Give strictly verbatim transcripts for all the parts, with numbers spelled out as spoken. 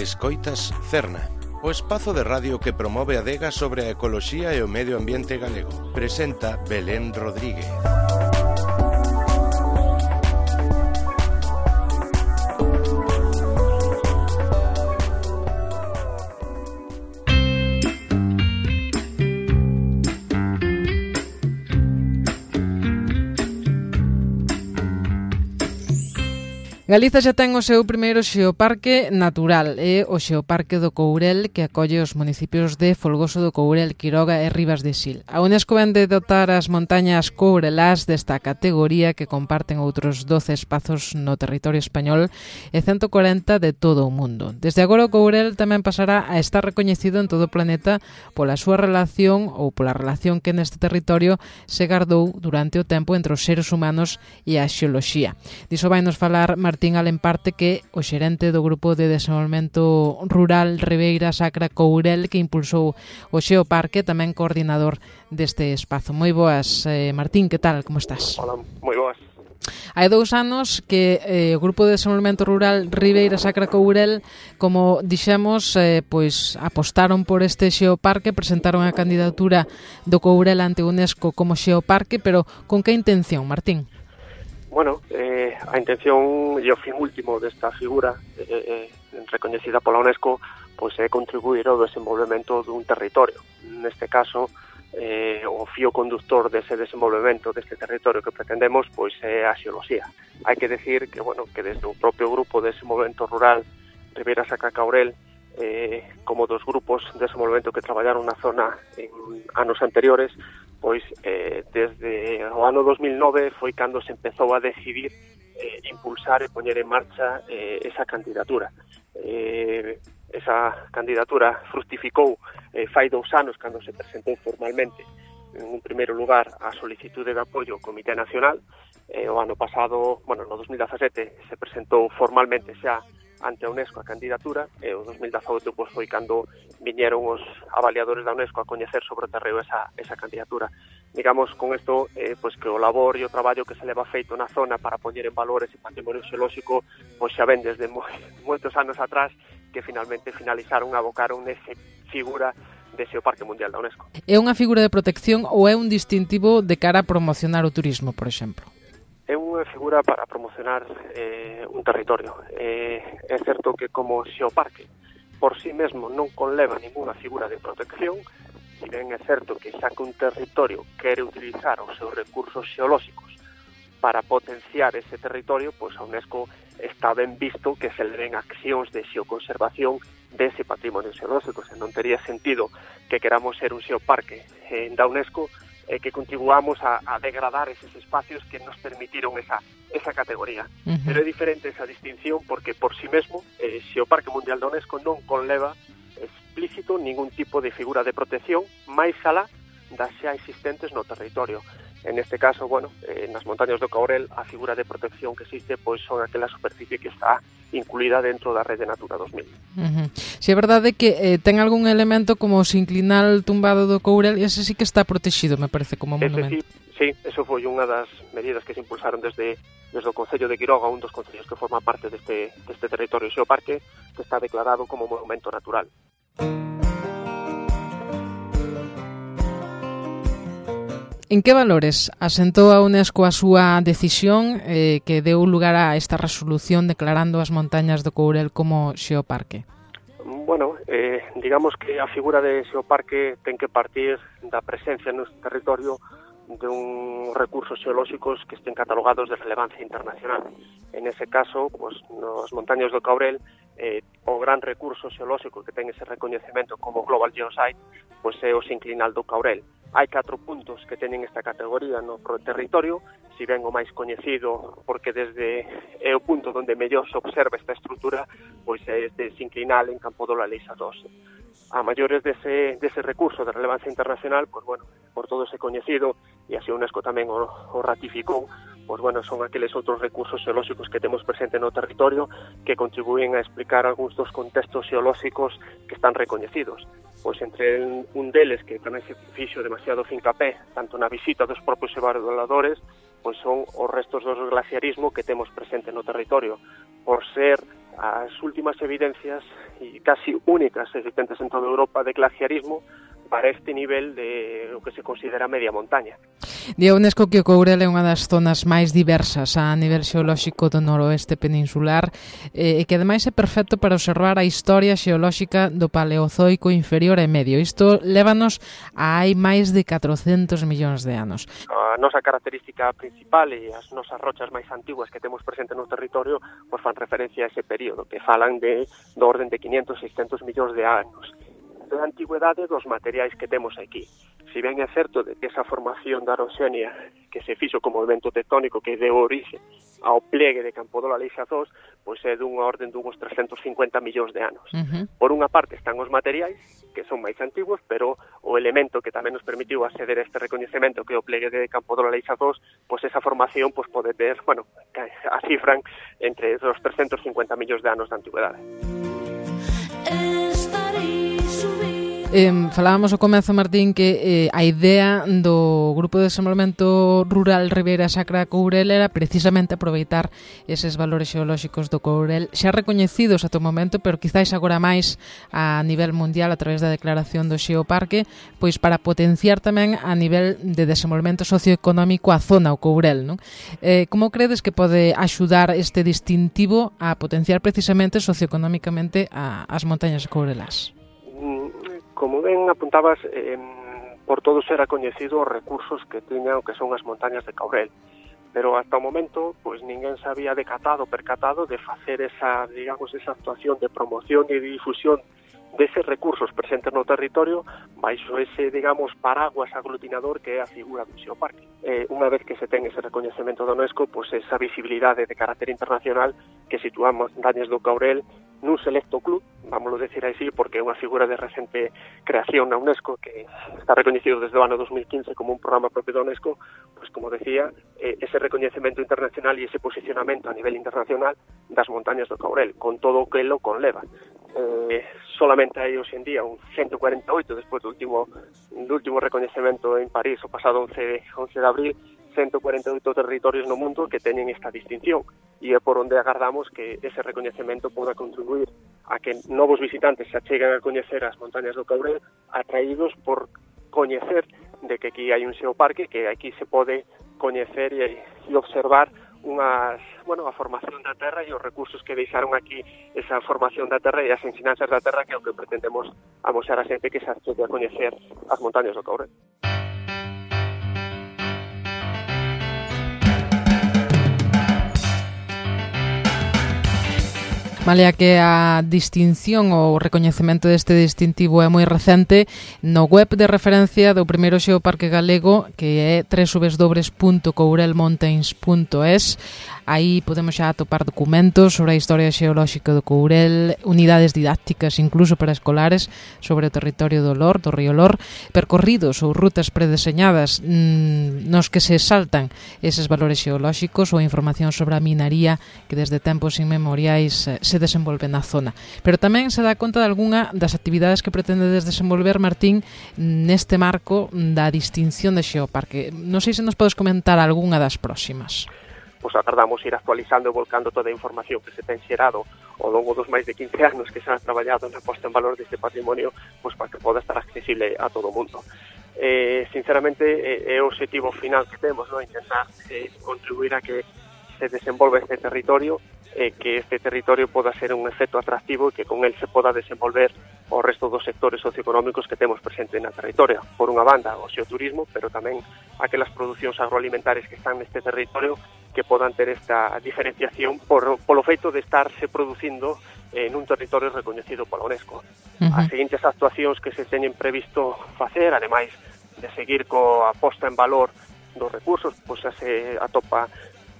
Escoitas Cerna, o espazo de radio que promove a adega sobre a ecoloxía e o medio ambiente galego. Presenta Belén Rodríguez. Galiza xa ten o seu primeiro xeoparque natural, é o Xeoparque do Courel, que acolle os municipios de Folgoso do Courel, Quiroga e Ribas de Sil. A Unesco vende dotar as montañas courelás desta categoría que comparten outros doce espazos no territorio español e ciento corenta de todo o mundo. Desde agora o Courel tamén pasará a estar recoñecido en todo o planeta pola súa relación ou pola relación que neste territorio se gardou durante o tempo entre os seres humanos e a xeoloxía. Diso vai nos falar Martín Martín Alemparte, que é o xerente do Grupo de Desenvolvemento Rural Ribeira Sacra Courel, que impulsou o Xeoparque, tamén coordinador deste espazo. Moi boas, eh, Martín, que tal? Como estás? Hola, moi boas. Hai dous anos que eh, o Grupo de Desenvolvemento Rural Ribeira Sacra Courel, como dixemos, eh, pois apostaron por este xeoparque, presentaron a candidatura do Courel ante Unesco como xeoparque, pero con que intención, Martín? Bueno, eh, a intención e o fin último desta figura eh, eh, recoñecida pola UNESCO pois é contribuir ao desenvolvemento dun territorio. Neste caso, eh, o fío conductor dese desenvolvemento deste territorio que pretendemos pois é a xeoloxía. Hai que decir que, bueno, que desde o propio Grupo de Desenvolvemento Rural Ribeira Sacra Courel, eh, como dos grupos de desenvolvemento que traballaron na zona en anos anteriores, pois eh, desde o ano dos mil nove foi cando se empezou a decidir eh, impulsar e poñer en marcha eh, esa candidatura. Eh, esa candidatura fructificou eh, fai dous anos cando se presentou formalmente en un primeiro lugar a solicitude de apoio ao Comité Nacional. Eh, o ano pasado, bueno, no dos mil dezasete se presentou formalmente xa ante a UNESCO a candidatura, e o dos mil dezaoito pois, foi cando viñeron os avaliadores da UNESCO a coñecer sobre o terreo esa, esa candidatura. Digamos, con isto, eh, pois que o labor e o traballo que se leva feito na zona para poñer en valor ese patrimonio xeolóxico, pois xa ven desde moi, moitos anos atrás, que finalmente finalizaron, abocaron nese figura de Xeoparque Mundial da UNESCO. É unha figura de protección ou é un distintivo de cara a promocionar o turismo, por exemplo? É unha figura para promocionar eh, un territorio. Eh, é certo que como xeoparque por sí mesmo non conleva ninguna figura de protección, si ben é certo que xa que un territorio quere utilizar os seus recursos xeolóxicos para potenciar ese territorio, pois a UNESCO está ben visto que se le den accións de xeoconservación dese patrimonio xeolóxico. Se non tería sentido que queramos ser un xeoparque eh, da UNESCO e que contribuamos a, a degradar eses espacios que nos permitiron esa, esa categoría. Uh-huh. Pero é diferente esa distinción porque por sí mesmo eh, Xeoparque Mundial da UNESCO non conleva explícito ningún tipo de figura de protección máis alá das xa existentes no territorio. En este caso, bueno, eh, nas montañas do Courel a figura de protección que existe pois son aquela superficie que está incluída dentro da Rede Natura dos mil. Uh-huh. Si é verdade que eh, ten algún elemento como o sinclinal tumbado do Courel, e ese sí que está protegido, me parece, como monumento. Ese sí, sí, eso foi unha das medidas que se impulsaron desde, desde o Concello de Quiroga, un dos concellos que forma parte deste, deste territorio xeoparque, que está declarado como monumento natural. En que valores asentou a UNESCO a súa decisión eh, que deu lugar a esta resolución declarando as montañas do Courel como xeoparque? Bueno, eh, digamos que a figura de xeoparque ten que partir da presencia no territorio de un recursos xeolóxicos que estén catalogados de relevancia internacional. En ese caso, pues, nos montañas do Courel, eh, o gran recurso xeolóxico que ten ese recoñecemento como Global Geosite, pues é o sinclinal do Courel. Hai catro puntos que teñen esta categoría no territorio, si ben o máis coñecido, porque desde é o punto onde mellor se observa esta estrutura, pois é este sinclinal en Campo do Laliza doce. A maiores dese, dese recurso de relevancia internacional, pois bueno, por todo ese coñecido, e así a UNESCO tamén o, o ratificou, pois bueno, son aqueles outros recursos xeolóxicos que temos presente no territorio que contribúen a explicar algúns dos contextos xeolóxicos que están recoñecidos. Pois entre un deles que tamén se fixo demasiado fincapé, tanto na visita dos propios evaluadores, pois son os restos do glaciarismo que temos presente no territorio. Por ser as últimas evidencias e casi únicas existentes en toda Europa de glaciarismo para este nivel de o que se considera media montaña. Di a UNESCO que o Courel é unha das zonas máis diversas a nivel xeolóxico do noroeste peninsular e que ademais é perfecto para observar a historia xeolóxica do Paleozoico inferior e medio. Isto lévanos a hai máis de catrocentos millóns de anos. A nosa característica principal e as nosas rochas máis antiguas que temos presente no territorio pois fan referencia a ese período, que falan de do orden de quinhentos, seiscentos millóns de anos. De antigüedade dos materiais que temos aquí. Si ben é certo de que esa formación da Aroxenia que se fixo como movimento tectónico que deu orixe ao plegue de Campodola Leixazós, pois é dunha orden dunhos trescentos cincuenta millóns de anos. Uh-huh. Por unha parte están os materiais, que son máis antigos, pero o elemento que tamén nos permitiu acceder a este recoñecemento que é o plegue de Campodola Leixazós, pois esa formación pois pode ter, bueno, a cifran entre os trescentos cincuenta millóns de anos de antigüedade. Eh, falábamos ao comezo, Martín, que eh, a idea do Grupo de Desenvolvemento Rural Ribeira Sacra Courel era precisamente aproveitar eses valores xeolóxicos do Courel xa recoñecidos ata o momento, pero quizáis agora máis a nivel mundial a través da declaración do Xeoparque, pois para potenciar tamén a nivel de desenvolvemento socioeconómico a zona, o Courel, non? Eh, como credes que pode axudar este distintivo a potenciar precisamente socioeconómicamente a, as montañas courelás? Como ben apuntabas, eh, por todo será coñecido os recursos que tiñan o que son as montañas de Courel, pero hasta o momento pois ninguén se había decatado, percatado de facer esa, digamos, esa actuación de promoción e de difusión deses recursos presentes no territorio baixo ese, digamos, paraguas aglutinador que é a figura do Xeoparque. Eh, unha vez que se ten ese recoñecemento da UNESCO, pois esa visibilidade de carácter internacional que situamos montañas do Courel nun selecto club, vámoslo decir así, porque é unha figura de recente creación na UNESCO que está recoñecido desde o ano dos mil quince como un programa propio da UNESCO, pois como decía, eh, ese recoñecemento internacional e ese posicionamento a nivel internacional das montañas do Courel, con todo o que lo conleva. Eh, solamente hai hoxe en día un ciento cuarenta e oito despois do último, do último recoñecemento en París o pasado once de abril, ciento cuarenta e oito territorios no mundo que teñen esta distinción e é por onde agardamos que ese recoñecemento poda contribuir a que novos visitantes se acheguen a coñecer as montañas do Courel atraídos por coñecer de que aquí hai un xeoparque, que aquí se pode coñecer e, e observar unhas, bueno, a formación da terra e os recursos que deixaron aquí esa formación da terra e as ensinanzas da terra que é o que pretendemos amosar a xente que se achegue a coñecer as montañas do Courel. Malia que a distinción ou recoñecemento deste distintivo é moi recente, no web de referencia do primeiro xeoparque galego, que é doble u doble u doble u punto courel mountains punto es, aí podemos xa atopar documentos sobre a historia xeolóxica do Courel, unidades didácticas incluso para escolares sobre o territorio do Lor, do río Lor, percorridos ou rutas predeseñadas mmm, nos que se saltan eses valores xeolóxicos ou información sobre a minaría que desde tempos inmemoriais se desenvolve na zona. Pero tamén se dá conta de algunha das actividades que pretendedes desenvolver, Martín, neste marco da distinción de xeoparque. Non sei se nos podes comentar algunha das próximas. Pois agardamos ir actualizando e volcando toda a información que se ten xerado ao longo dos máis de quince anos que se han traballado na posta en valor deste patrimonio, pois para que poda estar accesible a todo o mundo. Eh, sinceramente, é o objetivo final que temos, no? Intentar eh, contribuir a que se desenvolva este territorio, eh, que este territorio poda ser un efecto atractivo e que con el se poda desenvolver o resto dos sectores socioeconómicos que temos presente na territorio. Por unha banda, o xeoturismo, pero tamén aquelas producións agroalimentares que están neste territorio que podan ter esta diferenciación por, polo feito de estarse producindo en un territorio recoñecido pola UNESCO. Uh-huh. As seguintes actuacións que se teñen previsto facer, ademais de seguir coa posta en valor dos recursos, pois xa se atopa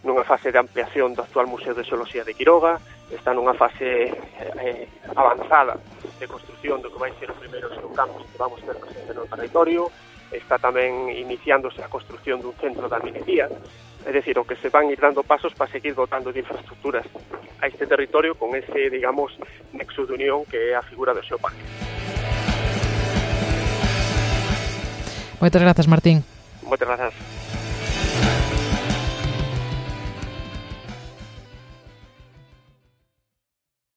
nunha fase de ampliación do actual Museo de Xeoloxía de Quiroga, está nunha fase eh, avanzada de construción do que vai ser o primeiro xeocampus que vamos ter presente no territorio, está tamén iniciándose a construción dun centro de minería, é dicir, o que se van ir dando pasos para seguir dotando de infraestructuras a este territorio con ese, digamos, nexo de unión que é a figura do xeoparque. Moitas grazas, Martín. Moitas grazas.